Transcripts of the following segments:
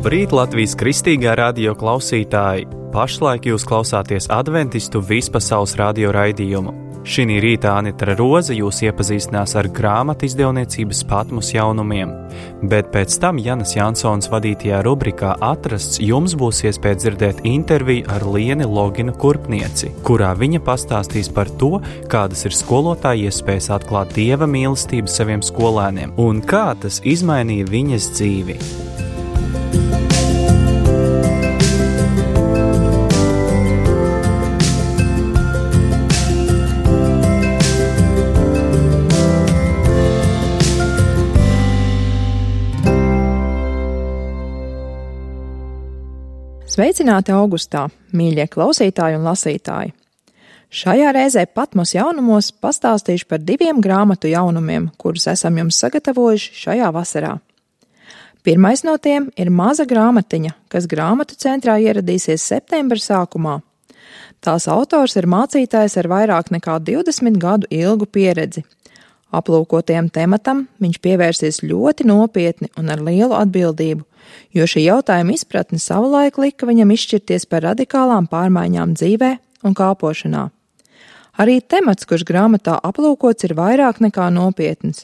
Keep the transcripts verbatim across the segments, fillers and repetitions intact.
Labrīt, Latvijas Kristīgā radio klausītāji! Pašlaik jūs klausāties Adventistu vispasaules radio raidījumu. Šī rītā Anita Roze jūs iepazīstinās ar grāmatu izdevniecības Patmos jaunumiem, bet pēc tam Janas Jansons vadītajā rubrikā Atrasts jums būs iespēja dzirdēt interviju ar Lieni Loginu Kurpnieci, kurā viņa pastāstīs par to, kādas ir skolotāja iespējas atklāt Dieva mīlestību saviem skolēniem un kā tas izmainīja viņas dzīvi. Sveicināti augustā, mīļie klausītāji un lasītāji! Šajā reizē Patmos jaunumos pastāstīšu par diviem grāmatu jaunumiem, kurus esam jums sagatavojuši šajā vasarā. Pirmais no tiem ir maza grāmatiņa, kas grāmatu centrā ieradīsies septembra sākumā. Tās autors ir mācītājs ar vairāk nekā divdesmit gadu ilgu pieredzi. Aplūkotajam tematam viņš pievērsies ļoti nopietni un ar lielu atbildību, jo šī jautājuma izpratne savulaik lika viņam izšķirties par radikālām pārmaiņām dzīvē un kalpošanā. Arī temats, kurš grāmatā aplūkots, ir vairāk nekā nopietns.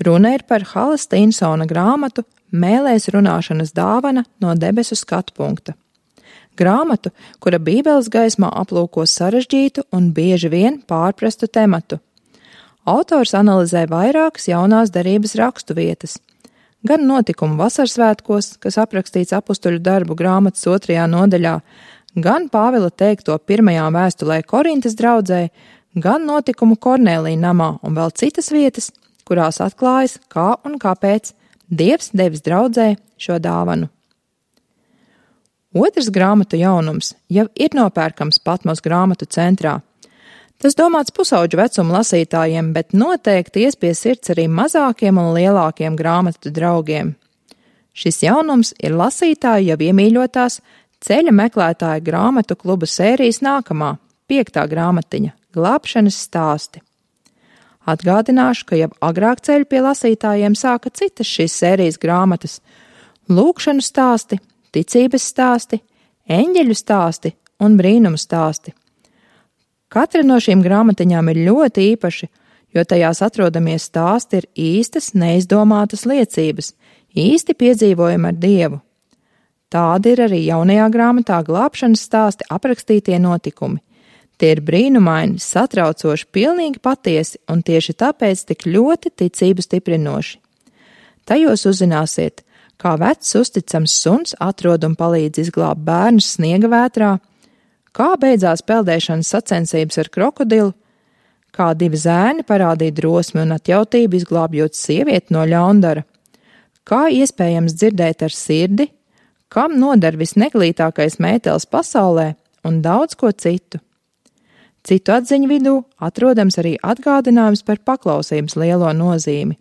Runa ir par Hala Stinsona grāmatu Mēlēs runāšanas dāvana no debesu skatu punkta. Grāmatu, kura Bībeles gaismā aplūko sarežģītu un bieži vien pārprastu tematu. Autors analizē vairākas jaunās derības rakstu vietas, gan notikumu vasarsvētkos, kas aprakstīts apustuļu darbu grāmatas otrajā nodaļā, gan Pāvila teikto pirmajā vēstulē Korintas draudzē, gan notikumu Kornēlija namā un vēl citas vietas, kurās atklājas, kā un kāpēc Dievs devis draudzē šo dāvanu. Otrs grāmatu jaunums jau ir nopērkams Patmos grāmatu centrā. Tas domāts pusauģu vecuma lasītājiem, bet noteikti ies pie sirds arī mazākiem un lielākiem grāmatu draugiem. Šis jaunums ir lasītāju jau iemīļotās ceļa meklētāja grāmatu kluba sērijas nākamā, piektā grāmatiņa – Glābšanas stāsti. Atgādināšu, ka jau agrāk ceļu pie lasītājiem sāka citas šīs sērijas grāmatas – lūkšanu stāsti, ticības stāsti, eņģeļu stāsti un brīnumu stāsti. Katra no šīm grāmatiņām ir ļoti īpaši, jo tajās atrodamie stāsti ir īstas, neizdomātas liecības, īsti piedzīvojumi ar Dievu. Tādi ir arī jaunajā grāmatā Glābšanas stāsti aprakstītie notikumi. Tie ir brīnumaini, satraucoši, pilnīgi patiesi un tieši tāpēc tik ļoti ticību stiprinoši. Tajos uzzināsiet, kā vecs uzticams suns atrod un palīdz izglābt bērnus sniega vētrā, kā beidzās peldēšanas sacensības ar krokodilu, kā divi zēni parādīja drosmi un atjautību izglābjot sievieti no ļaundara, kā iespējams dzirdēt ar sirdi, kam noder visneglītākais mētelis pasaulē un daudz ko citu. Citu atziņu vidū atrodams arī atgādinājums par paklausības lielo nozīmi.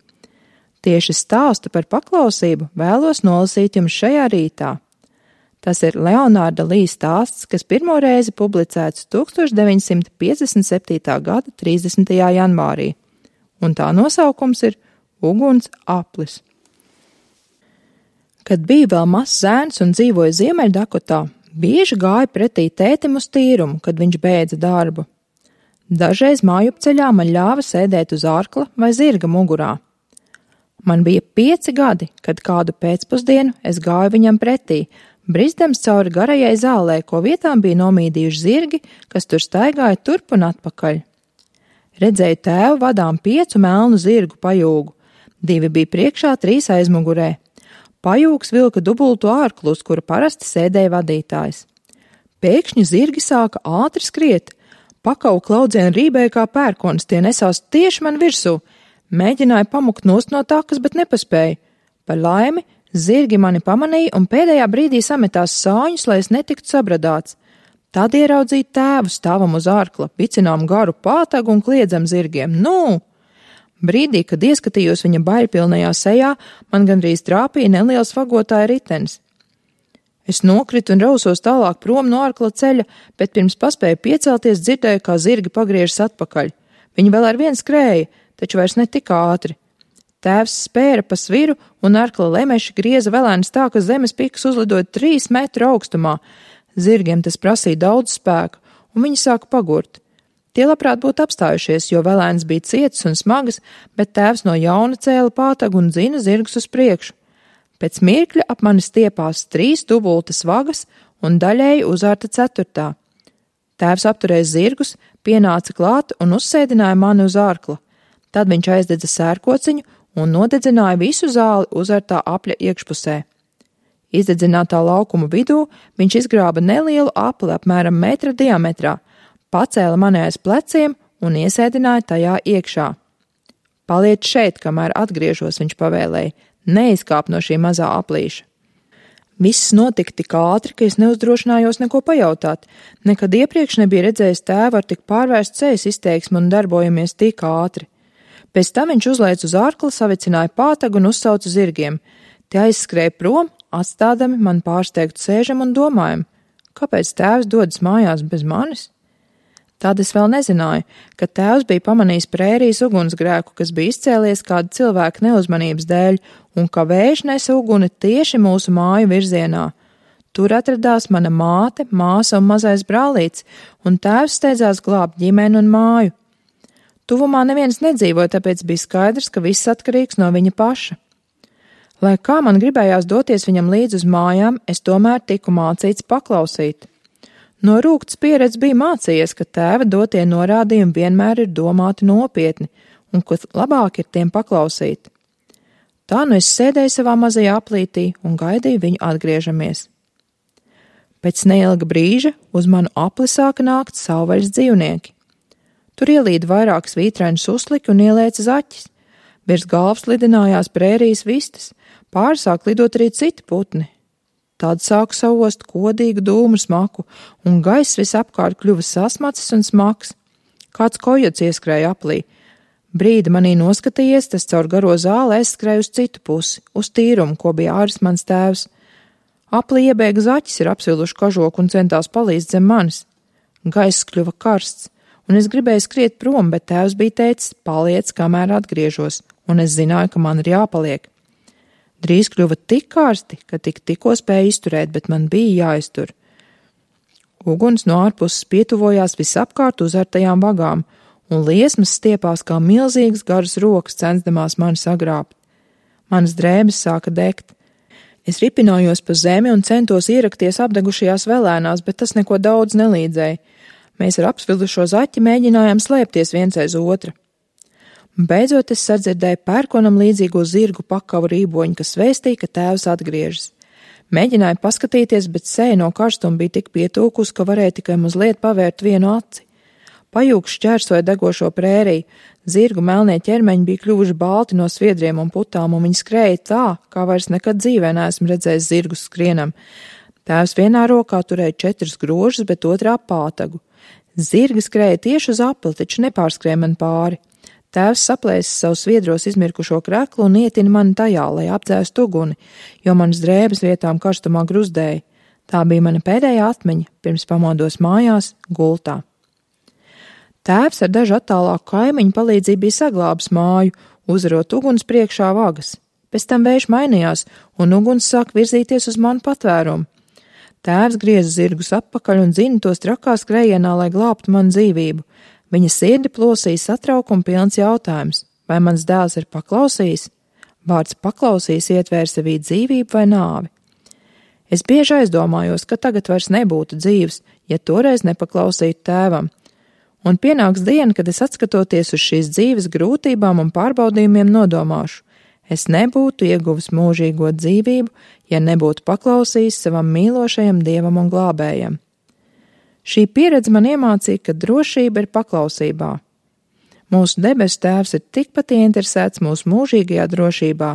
Tieši stāstu par paklausību vēlos nolasīt jums šajā rītā. Tas ir Leonārda Lija stāsts, kas pirmo reizi publicēts tūkstoš deviņsimt piecdesmit septītā gada trīsdesmitajā janvārī, un tā nosaukums ir Uguns aplis. Kad bija vēl mazs zēns un dzīvoja Ziemeļdakotā, bieži gāja pretī tētim uz tīrumu, kad viņš beidza darbu. Dažreiz mājupceļā man ļāva sēdēt uz ārkla vai zirga mugurā. Man bija pieci gadi, kad kādu pēcpusdienu es gāju viņam pretī, brizdams cauri garajai zālē, ko vietām bija nomīdījuši zirgi, kas tur staigāja turp un atpakaļ. Redzēju tēvu vadām piecu melnu zirgu pajūgu. Divi bija priekšā, trīs aizmugurē. Pajūgs vilka dubultu ārklu, uz kura parasti sēdēja vadītājs. Pēkšņi zirgi sāka ātri skriet. Pakau klaudzieni rībēja kā pērkonis, tie nesās tieši man virsū. Mēģināju pamukt nost no takas, bet nepaspēju. Par laimi, zirgi mani pamanīja un pēdējā brīdī sametās sāņus, lai es netiktu sabradāts. Tad ieraudzīju tēvu stāvam uz ārkla, vicinām garu pātagu un kliedzam zirgiem. Nu! Brīdī, kad ieskatījos viņa baļpilnajā sejā, man gandrīz trāpīja neliels vagotāja ritenis. Es nokritu un rausos tālāk prom no ārkla ceļa, bet pirms paspēju piecelties dzirdēju, kā zirgi pagriežas atpakaļ. Viņi vēl ar vien skrēja, taču vairs ne tik ātri. Tēvs spēra pa sviru un arkla lemeši grieza velēnus tā, ka zemes pikas uzlidoja trīs metru augstumā. Zirgiem tas prasīja daudz spēku, un viņi sāka pagurt. Tie labprāt būtu apstājušies, jo velēns bija cietas un smagas, bet tēvs no jauna cēla pātagu un dzina zirgus uz priekšu. Pēc mirkļa ap mani stiepās trīs dubultas vagas un daļēji uzārta ceturtā. Tēvs apturēja zirgus, pienāca klāt un uzsēdināja mani uz ārkla. Tad viņš aizdedza sērkociņu un nodedzināja visu zāli uzārtā apļa iekšpusē. Izdedzinātā laukuma vidū viņš izgrāba nelielu apli apmēram metra diametrā, pacēla mani aiz pleciem un iesēdināja tajā iekšā. Paliec šeit, kamēr atgriežos, viņš pavēlēja, neizkāp no šī mazā aplīša. Viss notika tik ātri, ka es neuzdrošinājos neko pajautāt. Nekad iepriekš nebija redzējis tēvu ar tik pārvērstu sejas izteiksmi un darbojamies tik ātri. Pēc tam viņš uzlēca uz ārkla, savicināja pātagu un uzsauca zirgiem. Tie aizskrēja prom, atstādami man pārsteigtu sēžam un domājam, kāpēc tēvs dodas mājās bez manis? Tad es vēl nezināju, ka tēvs bija pamanījis prērijas ugunsgrēku, kas bija izcēlies kāda cilvēka neuzmanības dēļ, un ka vējš nesa uguni tieši mūsu māju virzienā. Tur atradās mana māte, māsa un mazais brālīts, un tēvs steidzās glābt ģimeni un māju. Tuvumā neviens nedzīvoja, tāpēc bija skaidrs, ka viss atkarīgs no viņa paša. Lai kā man gribējās doties viņam līdz uz mājām, es tomēr tiku mācīts paklausīt. No rūgtas pieredzes bija mācījies, ka tēva dotie norādījumi vienmēr ir domāti nopietni un ka labāk ir tiem paklausīt. Tā nu es sēdēju savā mazajā aplītī un gaidīju viņu atgriežamies. Pēc neilga brīža uz manu apli sāka nākt savvaļas dzīvnieki. Tur ielīda vairākas vītrainus uzliki un ielēca zaķis. Virs galvas lidinājās prērijas vistas, pāri sāk lidot arī citi putni. Tad sāku savost kodīgu dūmu smaku, un gaiss visapkārt kļuva sasmacis un smags. Kāds kojots ieskrēja aplī. Brīdi manī noskatījies, tas caur garo zāli aizskrēja uz citu pusi, uz tīrumu, ko bija āris mans tēvs. Aplī iebēga zaķis ar apsvilušu kažoku un centās palīdzt zem manis. Gaiss kļuva karsts, un es gribēju skriet prom, bet tēvs bija teicis, paliec, kamēr atgriežos, un es zināju, ka man ir jāpaliek. Drīz kļuva tik karsti, ka tik tikko spēja izturēt, bet man bija jāiztur. Uguns no ārpuses pietuvojās visapkārt uzartajām vagām, un liesmas stiepās kā milzīgas garas rokas censdamās mani sagrābt. Manas drēbes sāka degt. Es ripinājos pa zemi un centos ierakties apdegušajās velēnās, bet tas neko daudz nelīdzēja. Mēs ar apsvilušo zaķi mēģinājām slēpties viens aiz otra. Beidzot es sadzirdēju pērkonam līdzīgo zirgu pakavu rīboņu, kas vēstīja, ka tēvs atgriežas. Mēģināju paskatīties, bet seja no karstuma bija tik pietūkus, ka varēja tikai mazliet pavērt vienu aci. Pajūgs šķērsoja degošo prēriju, zirgu melnie ķermeņi bija kļuvuši balti no sviedriem un putām, un viņi skrēja tā, kā vairs nekad dzīvē neesmu redzējis zirgus skrienam. Tēvs vienā rokā turēja četrus grožus, bet otrā pātagu. Zirgi skrēja tieši uz apli, taču nepārskrēja man pāri. Tēvs saplēsa savu sviedros izmirkušo kreklu un ietina mani tajā, lai apdzēstu uguni, jo manas drēbes vietām karstumā gruzdēja. Tā bija mana pēdējā atmiņa, pirms pamodos mājās, gultā. Tēvs ar dažu attālāku kaimiņu palīdzību bija saglābis māju, uzarot uguns priekšā vagas. Pēc tam vējš mainījās, un uguns sāk virzīties uz manu patvērumu. Tēvs grieza zirgus atpakaļ un dzina tos trakā skrējienā, lai glābtu manu dzīvību. Viņa sirdi plosīja satraukuma pilns jautājums, vai mans dēls ir paklausījis? Vārds paklausījis ietvēra sevī dzīvību vai nāvi. Es bieži aizdomājos, ka tagad vairs nebūtu dzīves, ja toreiz nepaklausītu tēvam. Un pienāks diena, kad es atskatoties uz šīs dzīves grūtībām un pārbaudījumiem nodomāšu. Es nebūtu ieguvis mūžīgo dzīvību, ja nebūtu paklausījis savam mīlošajam Dievam un glābējam. Šī pieredze man iemācīja, ka drošība ir paklausībā. Mūsu debesu tēvs ir tikpat ieinteresēts mūsu mūžīgajā drošībā,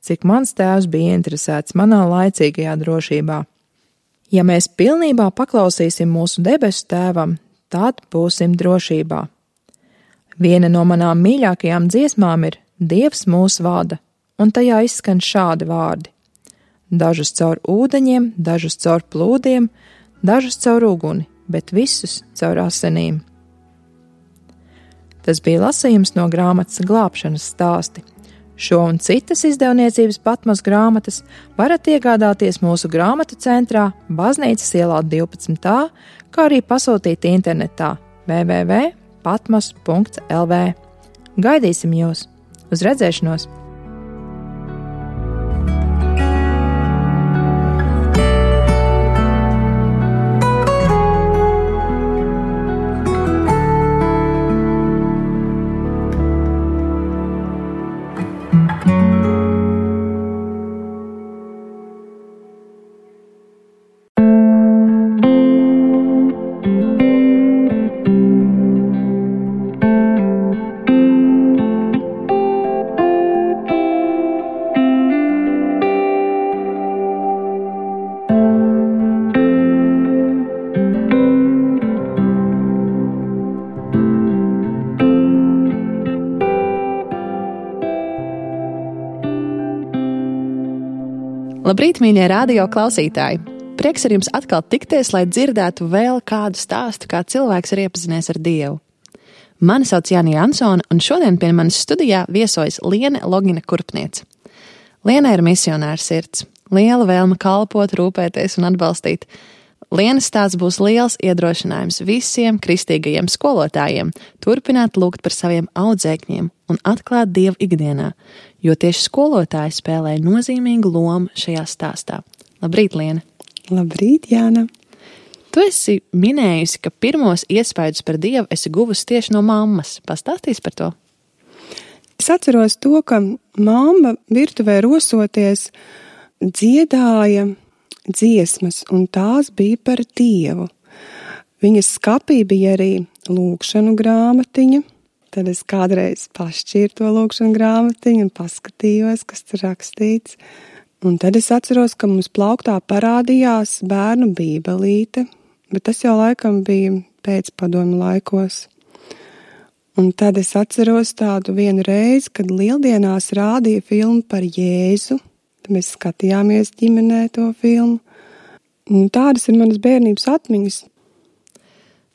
cik mans tēvs bija ieinteresēts manā laicīgajā drošībā. Ja mēs pilnībā paklausīsim mūsu debesu tēvam, tad būsim drošībā. Viena no manām mīļākajām dziesmām ir Dievs mūs vada, un tajā izskan šādi vārdi. Dažus caur ūdeņiem, dažus caur plūdiem, dažus caur uguni, bet visus caur asinīm. Tas bija lasījums no grāmatas Glābšanas stāsti. Šo un citas izdevniecības Patmos grāmatas varat iegādāties mūsu grāmatu centrā Baznīcas ielā divpadsmit A, kā arī pasūtīt internetā w w w punkt patmos punkt l v. Gaidīsim jūs! Uz redzēšanos! Labrīt, mīļie radio klausītāji! Prieks ar jums atkal tikties, lai dzirdētu vēl kādu stāstu, kā cilvēks ir iepazinies ar Dievu. Mani sauc Jāni Jansone, un šodien pie manis studijā viesojas Liene Logina Kurpniece. Liene ir misionāra sirds, liela vēlme kalpot, rūpēties un atbalstīt. Lienes stāsts būs liels iedrošinājums visiem kristīgajiem skolotājiem turpināt lūgt par saviem audzēkņiem un atklāt Dievu ikdienā, jo tieši skolotāji spēlē nozīmīgu lomu šajā stāstā. Labrīt, Liene! Labrīt, Jāna! Tu esi minējusi, ka pirmos iespaidus par Dievu esi guvusi tieši no mammas. Pastāstīsi par to? Es atceros to, ka mamma virtuvē rosoties dziedāja dziesmas, un tās bija par Dievu. Viņas skapī bija arī lūgšanu grāmatiņa. Tad es kādreiz pašķīru to lūgšanu grāmatiņu un paskatījos, kas tur rakstīts. Un tad es atceros, ka mums plauktā parādījās bērnu bībelīte, bet tas jau laikam bija pēc padomu laikos. Un tad es atceros tādu vienu reizi, kad lieldienās rādīja filmu par Jēzu. Mēs skatījāmies ģimenē to filmu. Un tādas ir manas bērnības atmiņas.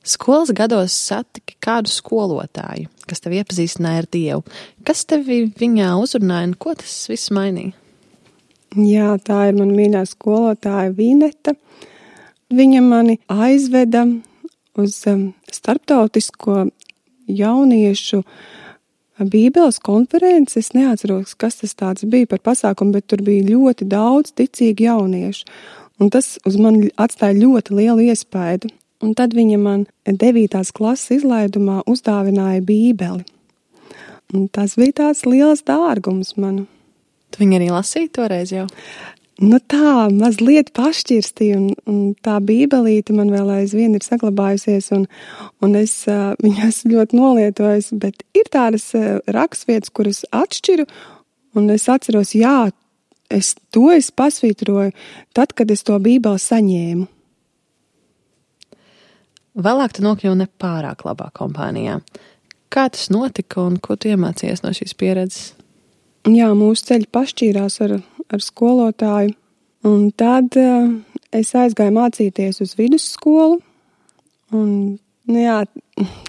Skolas gados satiki kādu skolotāju, kas tevi iepazīstināja ar Dievu. Kas tevi viņā uzrunāja un ko tas viss mainīja? Jā, tā ir mana mīļā skolotāja Vineta. Viņa mani aizveda uz starptautisko jauniešu Bībeles konferences. Es neatceros, kas tas tāds bija par pasākumu, bet tur bija ļoti daudz ticīgi jauniešu. Un tas uz mani atstāja ļoti lielu iespaidu. Un tad viņa man devītās klases izlaidumā uzdāvināja Bībeli. Un tas bija tāds liels dārgums manu. Tu viņu arī lasīji toreiz jau? Nu tā, mazliet pašķirstīja, un, un tā bībelīte man vēl aizvien ir saglabājusies, un, un es uh, viņu esmu ļoti nolietojis, bet ir tādas uh, rakstvietas, kuras atšķiru, un es atceros, jā, es to es pasvītroju tad, kad es to bībeli saņēmu. Vēlāk tu nokļuvi ne pārāk labā kompānijā. Kā tas notika un ko tu iemācījies no šīs pieredzes? Jā, mūsu ceļi pašķīrās ar, ar skolotāju, un tad uh, es aizgāju mācīties uz vidusskolu, un, nu jā,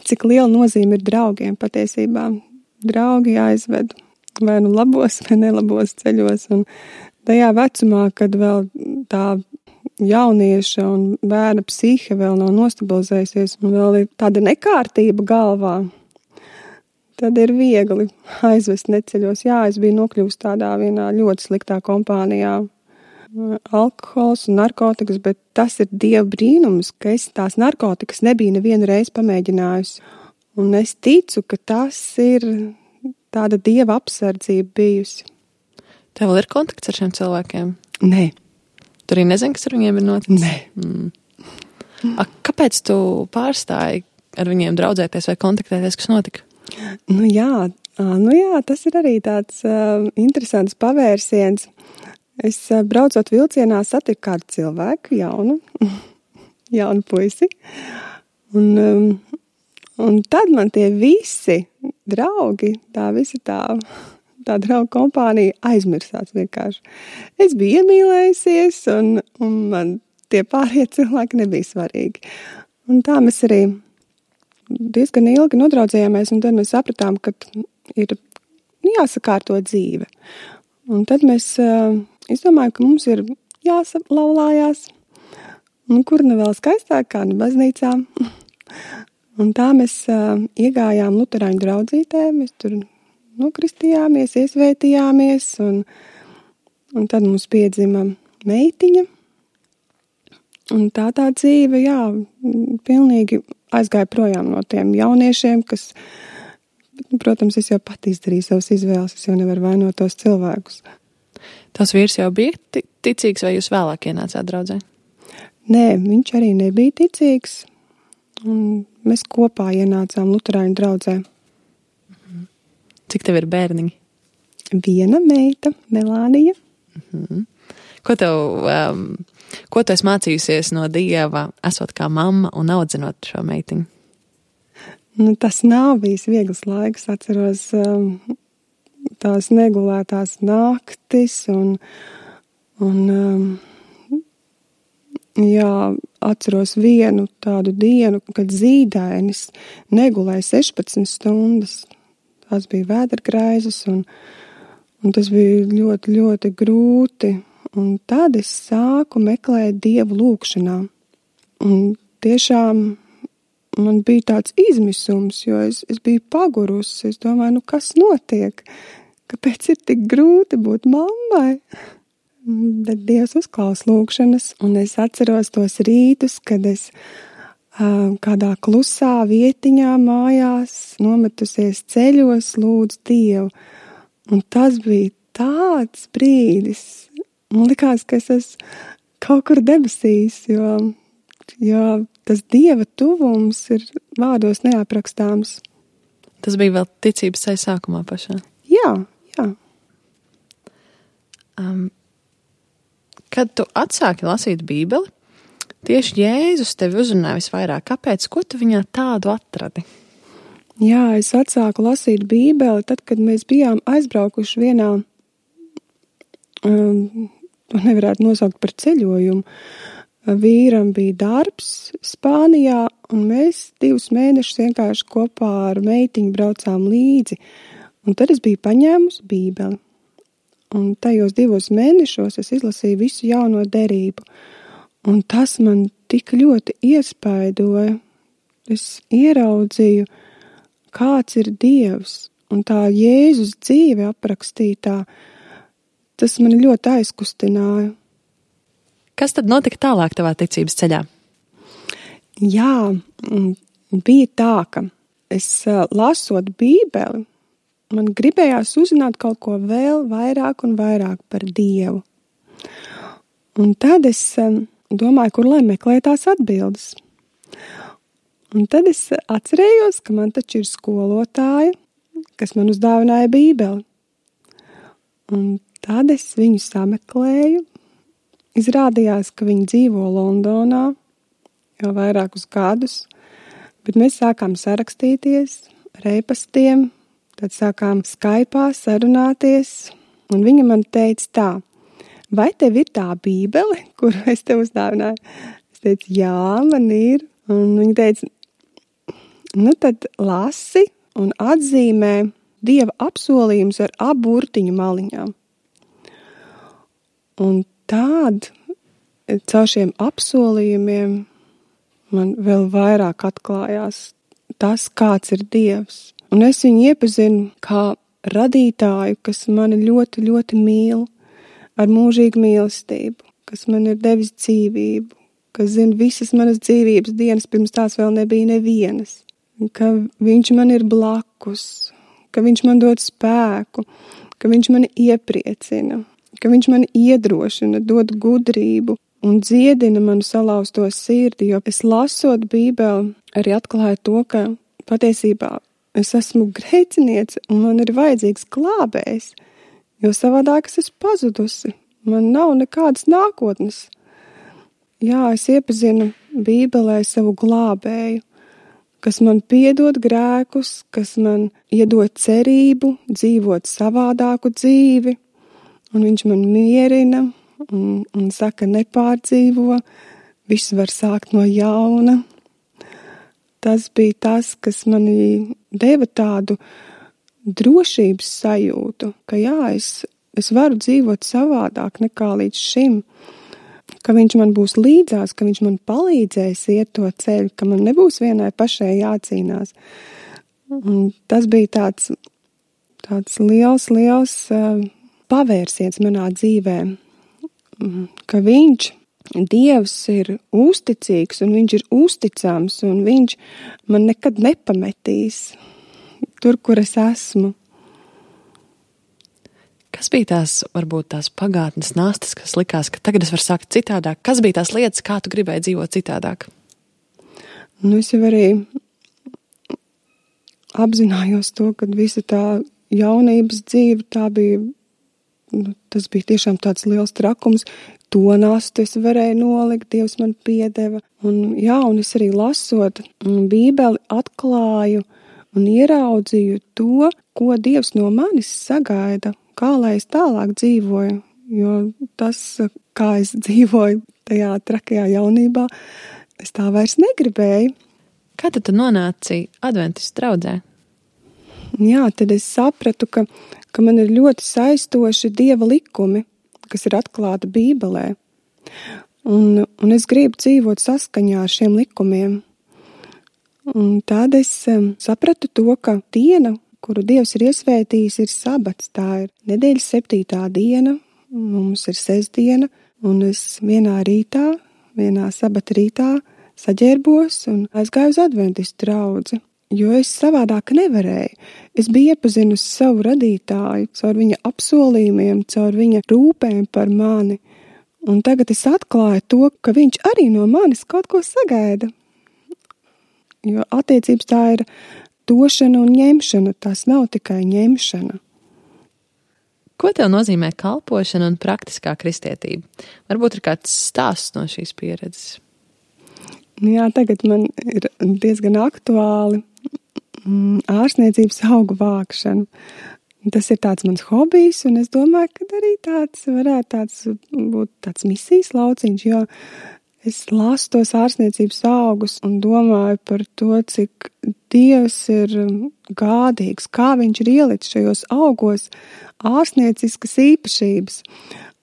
cik liela nozīme ir draugiem patiesībā. Draugi aizved vai nu labos vai nelabos ceļos, un tajā vecumā, kad vēl tā jaunieša un bērna psihe vēl nav nostabilizējusies, un vēl ir tāda nekārtība galvā, tad ir viegli aizvest neceļos. Jā, es biju nokļuvusi tādā vienā ļoti sliktā kompānijā. Alkohols un narkotikas, bet tas ir Dieva brīnums, ka es tās narkotikas nebiju nevienu reizi pamēģinājusi. Un es ticu, ka tas ir tāda Dieva apsardzība bijusi. Tev vēl ir kontakts ar šiem cilvēkiem? Nē. Tu arī nezini, kas ar viņiem ir noticis? Nē. Mm. A, kāpēc tu pārstāji ar viņiem draudzēties vai kontaktēties, kas notika? Nu jā, nu jā, tas ir arī tāds uh, interesants pavērsiens. Es uh, braucot vilcienā satiku kādu cilvēku, jaunu, jaunu puisi. Un, um, un tad man tie visi draugi, tā visi tā, tā draugu kompānija aizmirsās vienkārši. Es biju iemīlējusies, un, un man tie pārējie cilvēki nebija svarīgi. Un tā mēs arī diezgan ilgi nodraudzējāmies, un tad mēs sapratām, ka ir jāsakārto dzīve. Un tad mēs uh, izdomājam, ka mums ir jāsalaulājās, un kur ne vēl skaistāk kā ne baznīcā. Un tā mēs uh, iegājām luterāņu draudzītē, mēs tur nokristījāmies, iesvētījāmies, un, un tad mums piedzima meitiņa. Un tā tā dzīve, jā, pilnīgi aizgāja projām no tiem jauniešiem, kas, protams, es jau pat izdarīju savas izvēles, es jau nevaru vainot tos cilvēkus. Tas vīrs jau bija ticīgs, vai jūs vēlāk ienācāt draudzē? Nē, viņš arī nebija ticīgs, un mēs kopā ienācām luterāņu draudzē. Cik tev ir bērniņi? Viena meita, Melānija. Mhm. Ko tev, um, ko tu esi mācījusies no Dieva, esot kā mamma un audzinot šo meitiņu? Nu, tas nav bijis viegls laiks, atceros um, tās negulētās naktis un, un um, jā, atceros vienu tādu dienu, kad zīdainis negulēja sešpadsmit stundas. Tās bija vēdergraizes un, un tas bija ļoti, ļoti grūti. Un tad es sāku meklēt Dievu lūkšanā. Un tiešām man bija tāds izmisums, jo es, es biju pagurusi. Es domāju, nu kas notiek? Kāpēc ir tik grūti būt mammai? Bet Dievs uzklaus lūkšanas, un es atceros tos rītus, kad es uh, kādā klusā vietiņā mājās, nometusies ceļos, lūdzu Dievu. Un tas bija tāds brīdis. Man likās, ka es esmu kaut kur debesīs, jo, jo tas Dieva tuvums ir vārdos neaprakstāms. Tas bija vēl ticības ceļa sākumā pašā? Jā, jā. Um, kad tu atsāki lasīt Bībeli, tieši Jēzus tevi uzrunāja visvairāk. Kāpēc? Ko tu viņā tādu atradi? Jā, es atsāku lasīt Bībeli tad, kad mēs bijām aizbraukuši vienā... Um, To nevarētu nosaukt par ceļojumu. Vīram bija darbs Spānijā, un mēs divus mēnešus vienkārši kopā ar meitiņu braucām līdzi. Un tad es biju paņēmusi Bībeli. Un tajos divos mēnešos es izlasīju visu jauno derību. Un tas man tik ļoti iespaidoja. Es ieraudzīju, kāds ir Dievs. Un tā Jēzus dzīve aprakstītā, tas mani ļoti aizkustināja. Kas tad notika tālāk tavā ticības ceļā? Jā, bija tā, ka es lasot Bībeli, man gribējās uzzināt kaut ko vēl vairāk un vairāk par Dievu. Un tad es domāju, kur lai meklē tās atbildes. Un tad es atcerējos, ka man taču ir skolotāja, kas man uzdāvināja Bībeli. Un tad es viņu sameklēju. Izrādījās, ka viņi dzīvo Londonā jau vairākus gadus, bet mēs sākām sarakstīties ar e-pastiem, tad sākām Skype'ā sarunāties, un viņa man teica tā, vai tev ir tā Bībele, kuru es tev uzdāvināju? Es teicu, jā, man ir. Un viņa teica, nu tad lasi un atzīmē Dieva apsolījums ar abu burtiņu maliņām. Un tād, caur šiem apsolījumiem man vēl vairāk atklājās tas, kāds ir Dievs. Un es viņu iepazinu kā radītāju, kas mani ļoti, ļoti mīl, ar mūžīgu mīlestību, kas man ir devis dzīvību, kas zina visas manas dzīvības dienas, pirms tās vēl nebija nevienas, ka viņš man ir blakus, ka viņš man dod spēku, ka viņš mani iepriecina, ka viņš mani iedrošina, dod gudrību un dziedina manu salauzto sirdi, jo es lasot Bībeli arī atklāju to, ka patiesībā es esmu grēciniece un man ir vajadzīgs glābējs, jo savādāk es esmu pazudusi. Man nav nekādas nākotnes. Jā, es iepazinu Bībelē savu glābēju, kas man piedod grēkus, kas man iedod cerību, dzīvot savādāku dzīvi, un viņš man mierina un, un saka, nepārdzīvo, viss var sākt no jauna. Tas bija tas, kas mani deva tādu drošības sajūtu, ka jā, es, es varu dzīvot savādāk nekā līdz šim, ka viņš man būs līdzās, ka viņš man palīdzēs iet to ceļu, ka man nebūs vienai pašai jācīnās. Un tas bija tāds, tāds liels, liels uh, pavērsiens manā dzīvē, ka viņš, Dievs, ir uzticīgs un viņš ir uzticams un viņš man nekad nepametīs tur, kur es esmu. Kas bija tās, varbūt tās pagātnes nastas, kas likās, ka tagad es varu sākt citādāk? Kas bija tās lietas, kā tu gribēji dzīvot citādāk? Nu, es jau arī apzinājos to, ka visa tā jaunības dzīve, tā bija, nu, tas bija tiešām tāds liels trakums. To nastu es varēju nolikt, Dievs man piedeva. Un jā, un es arī lasot Bībeli atklāju un ieraudzīju to, ko Dievs no manis sagaida, kā lai es tālāk dzīvoju. Jo tas, kā es dzīvoju tajā trakajā jaunībā, es tā vairs negribēju. Kā tad tu nonāci adventistu draudzē? Jā, tad es sapratu, ka, ka man ir ļoti saistoši Dieva likumi, kas ir atklāta Bībelē. Un, un es gribu dzīvot saskaņā ar šiem likumiem. Un tad es um, sapratu to, ka diena, kuru Dievs ir iesvētījis, ir sabats. Tā ir nedēļas septītā diena, mums ir sestdiena, un es vienā rītā, vienā sabata rītā saģērbos un aizgāju uz adventistu draudzi. Jo es savādāk nevarēju. Es biju iepazinusi savu radītāju, caur viņa apsolījumiem, caur viņa rūpēm par mani. Un tagad es atklāju to, ka viņš arī no manis kaut ko sagaida. Jo attiecības tā ir došana un ņemšana, tas nav tikai ņemšana. Ko tev nozīmē kalpošana un praktiskā kristietība? Varbūt ir kāds stāsts no šīs pieredzes? Jā, tagad man ir diezgan aktuāli ārstniecības augu vākšana. Tas ir tāds mans hobijs, un es domāju, ka arī tāds varētu tāds būt tāds misijas lauciņš, jo es lasu tos ārstniecības augus un domāju par to, cik Dievs ir gādīgs, kā viņš ir ielicis šajos augos ārstnieciskas īpašības.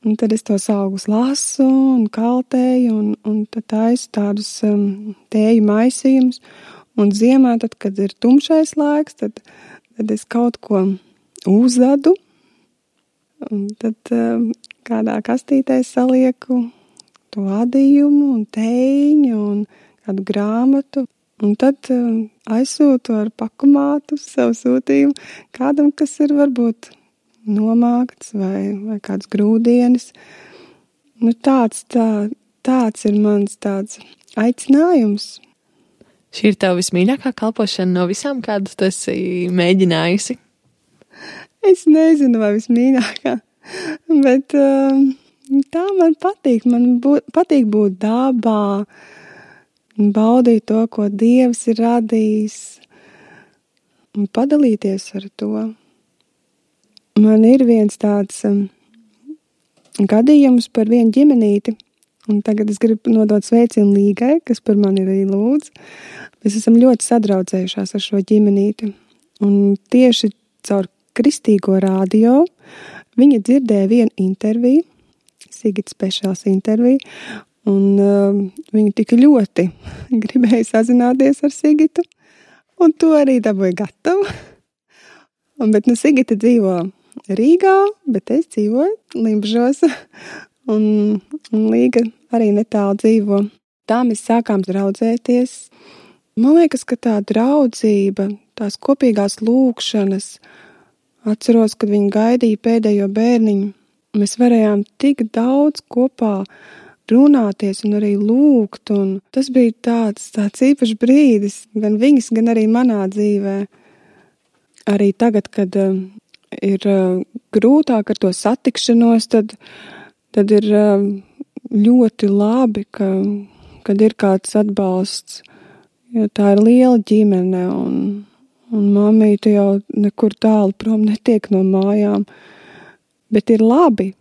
Un tad es tos augus lasu un kaltēju un, un tad taisu tādus um, tēju maisījumus. Un ziemā, tad, kad ir tumšais laiks, tad, tad es kaut ko uzadu. Un tad um, kādā kastītē salieku to adījumu un tēņu un kādu grāmatu. Un tad um, aizsūtu ar pakumātu savu sūtījumu kādam, kas ir varbūt nomākts vai, vai kāds grūdienis. Nu, tāds, tā, tāds ir mans tāds aicinājums. Šī ir tava vismīļākā kalpošana no visām, kādas tu esi mēģinājusi? Es nezinu, vai vismīļākā, bet um, tā man patīk. Man būt, patīk būt dabā, baudīt to, ko Dievs ir radījis, un padalīties ar to. Man ir viens tāds um, gadījums par vienu ģimenīti, un tagad es gribu nodot sveicienu Līgai, kas par mani arī lūdz. Mēs esam ļoti sadraudzējušās ar šo ģimenīti, un tieši caur kristīgo radio viņa dzirdēja vienu interviju, Sigita Speciāls interviju, un um, viņa tik ļoti gribēja sazināties ar Sigitu, un to arī dabūja gatavu. Un, bet nu Sigita dzīvo Rīgā, bet es dzīvoju Limbažos, un, un Līga arī netālu dzīvo. Tā mēs sākām draudzēties. Man liekas, ka tā draudzība, tās kopīgās lūkšanas, atceros, kad viņi gaidīja pēdējo bērniņu, mēs varējām tik daudz kopā runāties un arī lūgt, un tas bija tāds, tāds īpašs brīdis, gan viņas, gan arī manā dzīvē. Arī tagad, kad uh, ir uh, grūtāk ar to satikšanos, tad, tad ir uh, ļoti labi, ka, kad ir kāds atbalsts, jo tā ir liela ģimene, un, un mammīte jau nekur tālu prom netiek no mājām, bet ir labi,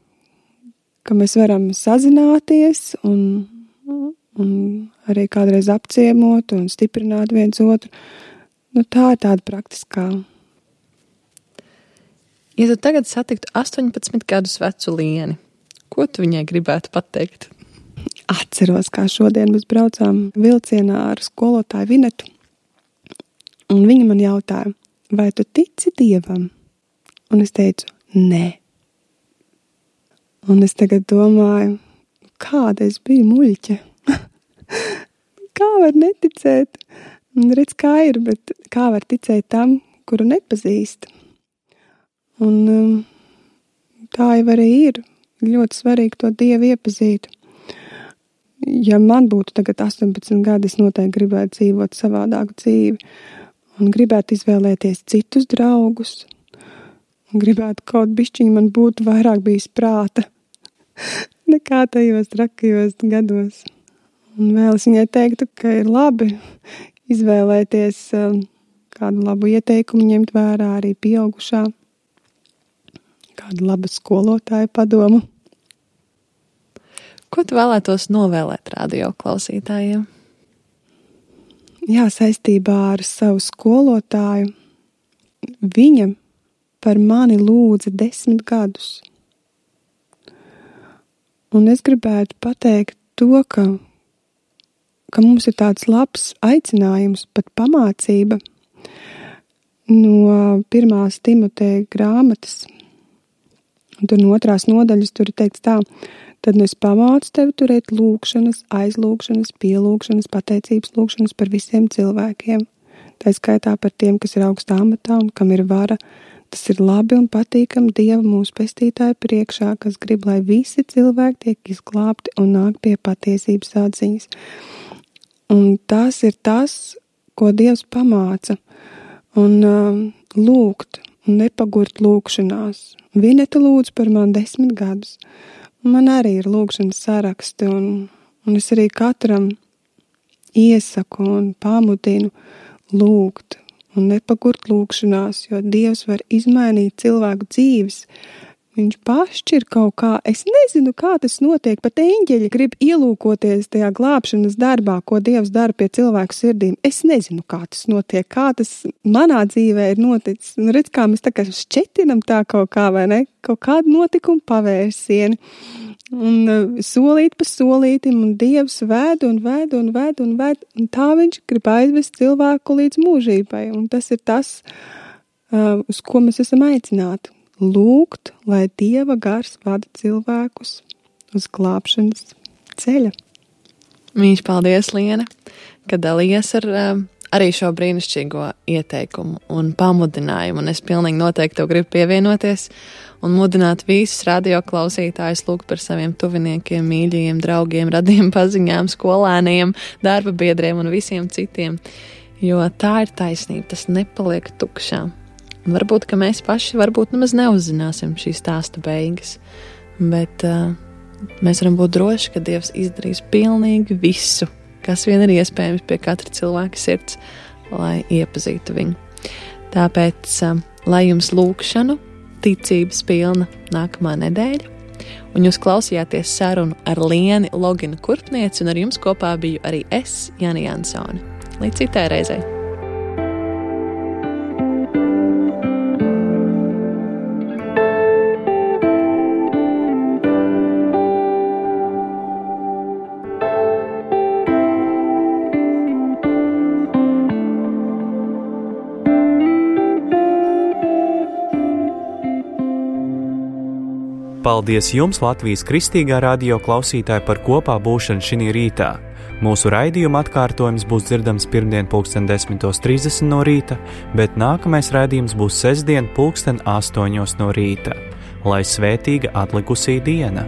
ka mēs varam sazināties un, un arī kādreiz apciemot un stiprināt viens otru. Nu, tā ir tāda praktiskā. Ja tu tagad satiktu astoņpadsmit gadus vecu Lieni, ko tu viņai gribētu pateikt? Atceros, kā šodien mēs braucām vilcienā ar skolotāju Vinetu, un viņa man jautāja, vai tu tici Dievam? Un es teicu, nē. Un es tagad domāju, kāda es biju muļķe. Kā var neticēt? Un redz, kā ir, bet kā var ticēt tam, kuru nepazīst? Un um, tā jau arī ir. Ļoti svarīgi to Dievu iepazīt. Ja man būtu tagad astoņpadsmit gadi, es noteikti gribētu dzīvot savādāku dzīvi. Un gribētu izvēlēties citus draugus. Un gribētu kaut bišķiņi man būtu vairāk bijis prāta nekā tajos trakajos gados. Un vēl es viņai teiktu, ka ir labi izvēlēties um, kādu labu ieteikumu, ņemt vērā arī pieaugušā, kādu labu skolotāju padomu. Ko tu vēlētos novēlēt radio klausītājiem? Jā, saistībā ar savu skolotāju. Viņa par mani lūdza desmit gadus. Un es gribētu pateikt to, ka, ka mums ir tāds labs aicinājums, pat pamācība no pirmās Timoteja grāmatas. Un tur no otrās nodaļas tur ir teikts tā, tad nu es pamācu tevi turēt lūkšanas, aizlūkšanas, pielūkšanas, pateicības lūkšanas par visiem cilvēkiem. Tā skaitā par tiem, kas ir augstā amatā un kam ir vara. Tas ir labi un patīkam Dieva mūsu pestītāja priekšā, kas grib, lai visi cilvēki tiek izglābti un nāk pie patiesības atziņas. Un tas ir tas, ko Dievs pamāca. Un um, lūgt un nepagurt lūkšanās. Vineta lūdz par man desmit gadus. Man arī ir lūkšanas saraksti, un, un es arī katram iesaku un pamudinu lūgt un nepagurt lūkšanās, jo Dievs var izmainīt cilvēku dzīves. Viņš pašķir kaut kā, es nezinu, kā tas notiek, pat eņģeļi grib ielūkoties tajā glābšanas darbā, ko Dievs dara pie cilvēku sirdīm. Es nezinu, kā tas notiek, kā tas manā dzīvē ir noticis. Un redz, kā mēs tā kā šķetinam tā kaut kā, vai ne? Kaut kādu notikumu pavērsieni. Un uh, solīt pa solītim, un Dievs ved un ved un ved un ved, un tā viņš grib aizvest cilvēku līdz mūžībai. Un tas ir tas, uh, uz ko mēs esam aicināti. Lūgt, lai Dieva gars vada cilvēkus uz glābšanas ceļa. Mīļš, paldies, Liene, ka dalījies ar uh, arī šo brīnišķīgo ieteikumu un pamudinājumu. Un es pilnīgi noteikti tev gribu pievienoties un mudināt visus radio klausītājus lūgt par saviem tuviniekiem, mīļajiem, draugiem, radiem paziņām, skolēniem, darba biedriem un visiem citiem. Jo tā ir taisnība, tas nepaliek tukšām. Un varbūt, ka mēs paši varbūt nemaz neuzzināsim šī stāsta beigas, bet uh, mēs varam būt droši, ka Dievs izdarīs pilnīgi visu, kas vien ir iespējams pie katra cilvēka sirds, lai iepazītu viņu. Tāpēc, uh, lai jums lūkšanu, ticības pilna nākamā nedēļa, un jūs klausījāties sarunu ar Lieni Loginu Kurpnieci, un ar jums kopā biju arī es, Jani Jansone. Līdz citai reizei! Paldies jums, Latvijas Kristīgā radio klausītāji, par kopā būšanu šinī rītā. Mūsu raidījuma atkārtojums būs dzirdams pirmdien pulksten desmitos trīsdesmit no rīta, bet nākamais raidījums būs sestdien pulksten astoņos no rīta. Lai svētīga atlikusī diena!